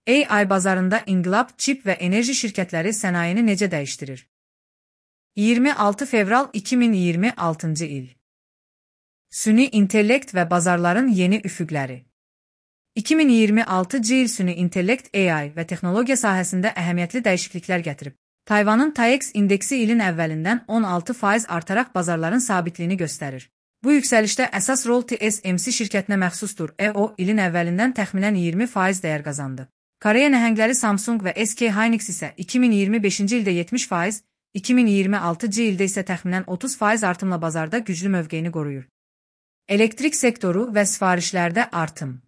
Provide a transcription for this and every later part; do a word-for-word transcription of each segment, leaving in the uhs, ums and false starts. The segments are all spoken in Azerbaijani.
A I bazarında inqilab, çip və enerji şirkətləri sənayeni necə dəyişdirir? iyirmi altı fevral iki min iyirmi altıncı il. Süni intellekt və bazarların yeni üfüqləri. iki min iyirmi altıncı il süni intellekt A I və texnologiya sahəsində əhəmiyyətli dəyişikliklər gətirib. Tayvanın TAIEX indeksi ilin əvvəlindən on altı faiz artaraq bazarların sabitliyini göstərir. Bu yüksəlişdə əsas rol T S M C şirkətinə məxsusdur. E O ilin əvvəlindən təxminən iyirmi faiz dəyər qazandı. Koreya nəhəngləri Samsung və S K Hynix isə iki min iyirmi beşinci ildə yetmiş faiz, iki min iyirmi altıncı ildə isə təxminən otuz faiz artımla bazarda güclü mövqeyini qoruyur. Elektrik sektoru və sifarişlərdə artım.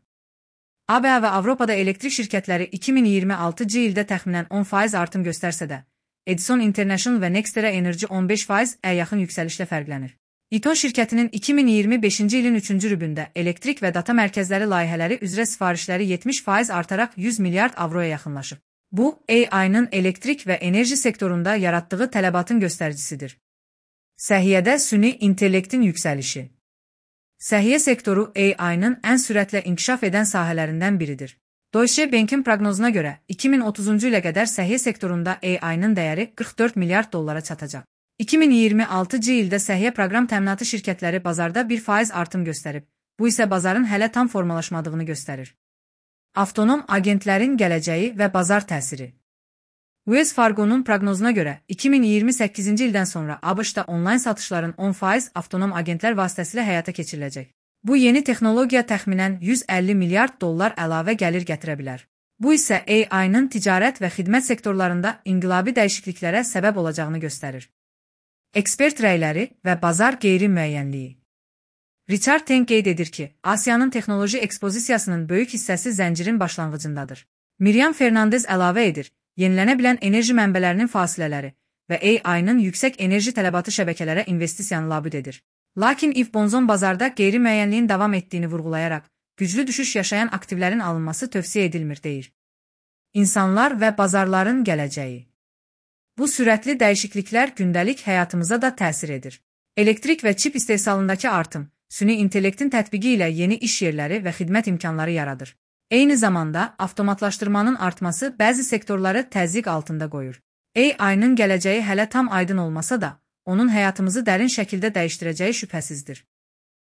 A B A və Avropada elektrik şirkətləri iki min iyirmi altıncı ildə təxminən on faiz artım göstərsə də, Edison International və Nextera Energy on beş faizə yaxın yüksəlişlə fərqlənir. İTON şirkətinin iki min iyirmi beşinci ilin üçüncü rübündə elektrik və data mərkəzləri layihələri üzrə sifarişləri yetmiş faiz artaraq yüz milyard avroya yaxınlaşıb. Bu, A I-nın elektrik və enerji sektorunda yaratdığı tələbatın göstəricisidir. Səhiyyədə süni intellektin yüksəlişi. Səhiyyə sektoru A I-nın ən sürətlə inkişaf edən sahələrindən biridir. Deutsche Bank'in proqnozuna görə iki min otuzuncu ilə qədər səhiyyə sektorunda A I-nın dəyəri qırx dörd milyard dollara çatacaq. iki min iyirmi altıncı ildə səhiyyə proqram təminatı şirkətləri bazarda bir faiz artım göstərib. Bu isə bazarın hələ tam formalaşmadığını göstərir. Avtonom agentlərin gələcəyi və bazar təsiri. Wells Fargo'nun proqnozuna görə iki min iyirmi səkkizinci ildən sonra ABŞ-da onlayn satışların on faiz avtonom agentlər vasitəsilə həyata keçiriləcək. Bu yeni texnologiya təxminən yüz əlli milyard dollar əlavə gəlir gətirə bilər. Bu isə A I-nın ticarət və xidmət sektorlarında inqilabi dəyişikliklərə səbəb olacağını göstərir. Ekspert rəyləri və bazar qeyri-müəyyənliyi. Richard Teng qeyd edir ki, Asiyanın texnoloji ekspozisiyasının böyük hissəsi zəncirin başlanğıcındadır. Miriam Fernandez əlavə edir, yenilənə bilən enerji mənbələrinin fasilələri və A I-nın yüksək enerji tələbatı şəbəkələrə investisiyanı labüd edir. Lakin Yves Bonzon bazarda qeyri-müəyyənliyin davam etdiyini vurğulayaraq, güclü düşüş yaşayan aktivlərin alınması tövsiyə edilmir deyir. İnsanlar və bazarların gələcəyi. Bu sürətli dəyişikliklər gündəlik həyatımıza da təsir edir. Elektrik və çip istehsalındakı artım, süni intellektin tətbiqi ilə yeni iş yerləri və xidmət imkanları yaradır. Eyni zamanda, avtomatlaşdırmanın artması bəzi sektorları təzyiq altında qoyur. A I-nın gələcəyi hələ tam aydın olmasa da, onun həyatımızı dərin şəkildə dəyişdirəcəyi şübhəsizdir.